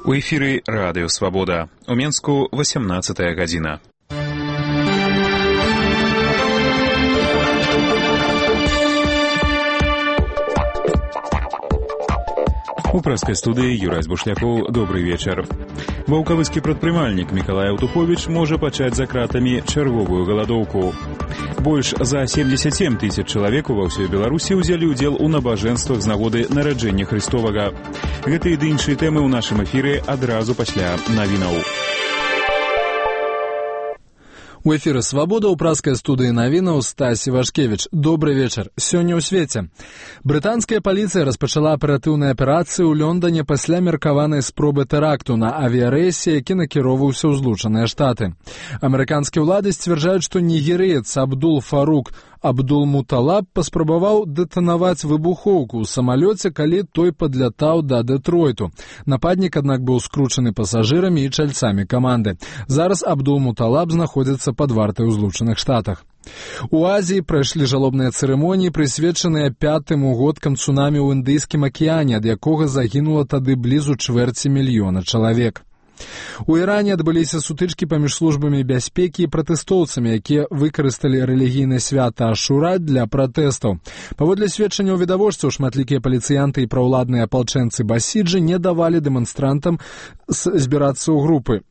У эфіры Радыё Свабода. У Менску 18 гадзіна. У прэскай студыі Юрай Бушлякоў. Добрый вечар. Ваўкавыскі прадпрымальнік Мікалай Аўтуховіч можа пачаць за кратамі чарговую галадоўку. Больш за 77 тысяч чалавек ва ўсёй Беларусі ўзялі ўдзел у набажэнствах з нагоды нараджэння Христовага. Гэтыя ды іншыя тэмы ў нашым эфіры адразу пасля навінаў. У эфіры «Свабода» ў праскай студыі навінаў Стасі Вашкевіч. Добры вечар. Сёння ў свеце. Брытанская паліцыя распачала аператыўныя аперацыі ў Лондоне пасля меркаванай спробы тэракту на авіярэйсе, які накіроўваўся ў Злучаныя Штаты. Амерыканскія ўлады сцвярджаюць, што нігерыец Абдул-Фарук Абдул-Муталаб паспрабаваў дэтанаваць выбухоўку ў самалёце, калі той падлятаў да Дэтройту. Нападнік, аднак, быў скручаны пасажырамі і чальцамі каманды. Зараз Абдул-Муталаб знаходзіцца пад вартай у Злучаных Штатах. У Азіі прайшлі жалобныя цырымоніі, прысвечаныя 5-м угодкам цунамі ў Індыйскім акіяне, ад якога загінула тады блізу 250 000 чалавек. У Іране адбыліся сутычкі паміж службамі бяспекі і пратэстоўцамі, якія выкарысталі рэлігійнае свята Ашура для пратэстаў. Паводле сведчанняў відавочцаў, шматлікія паліцыянты і праўладныя апалчэнцы Басіджы не давалі дэманстрантам збірацца ў групы.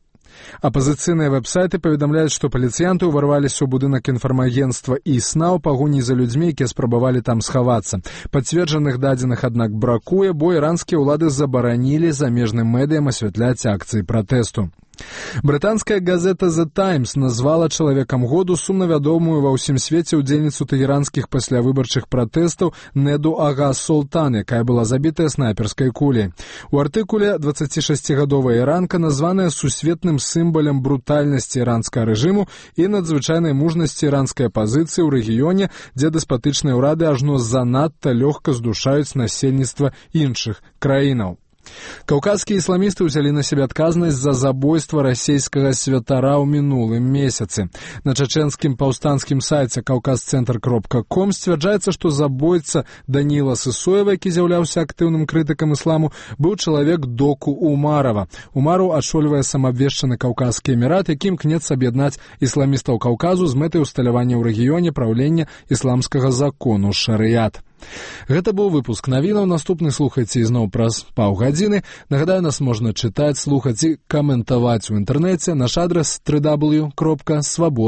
Апазіцыйныя вэб-сайты паведамляюць, што паліцыянты ўварваліся ў будынак інфармагенцтва ІСНА ў пагоні за людзьмі, якія спрабавалі там схавацца. Пацверджаных дадзеных, аднак, бракуе, бо іранскія ўлады забаранілі замежным медыям асвятляць акцыі пратэсту. Брытанская газета The Times назвала чалавекам году сумнавядомую ва ўсім свеце ўдзельніцу тэгеранскіх паслявыбарчых пратэстаў Неду Ага Солтан, якая была забітая снайперскай куляй. У артыкуле 26-гадовая іранка названая сусветным сімвалам брутальнасці іранскага рэжыму і надзвычайнай мужнасці іранскай апазіцыі ў рэгіёне, дзе дэспатычныя ўрады ажно занадта лёгка здушаюць насельніцтва іншых краінаў. Каўказскія ісламісты ўзялі на сябе адказнасць за забойства расейскага святара ў мінулым месяцы. На чачэнскім паўстанцкім сайце каўказцэнтр.ком сцвярджаецца, што забойца Даніла Сысоева, які з'яўляўся актыўным крытыкам ісламу, быў чалавек Доку Умарова. Умару адшольвае самаабвешчаны Каўказскі эмірат, які імкнецца аб'яднаць ісламістаў Каўказу з мэтай усталявання ў рэгіёне праўлення ісламскага закону шарыят. Гэта быў выпуск навінаў. Наступны слухайце ізноў праз паўгадзіны. Нагадаю, нас можна чытаць, слухаць і каментаваць у інтэрнэце. Наш адрас www.svoboda.org.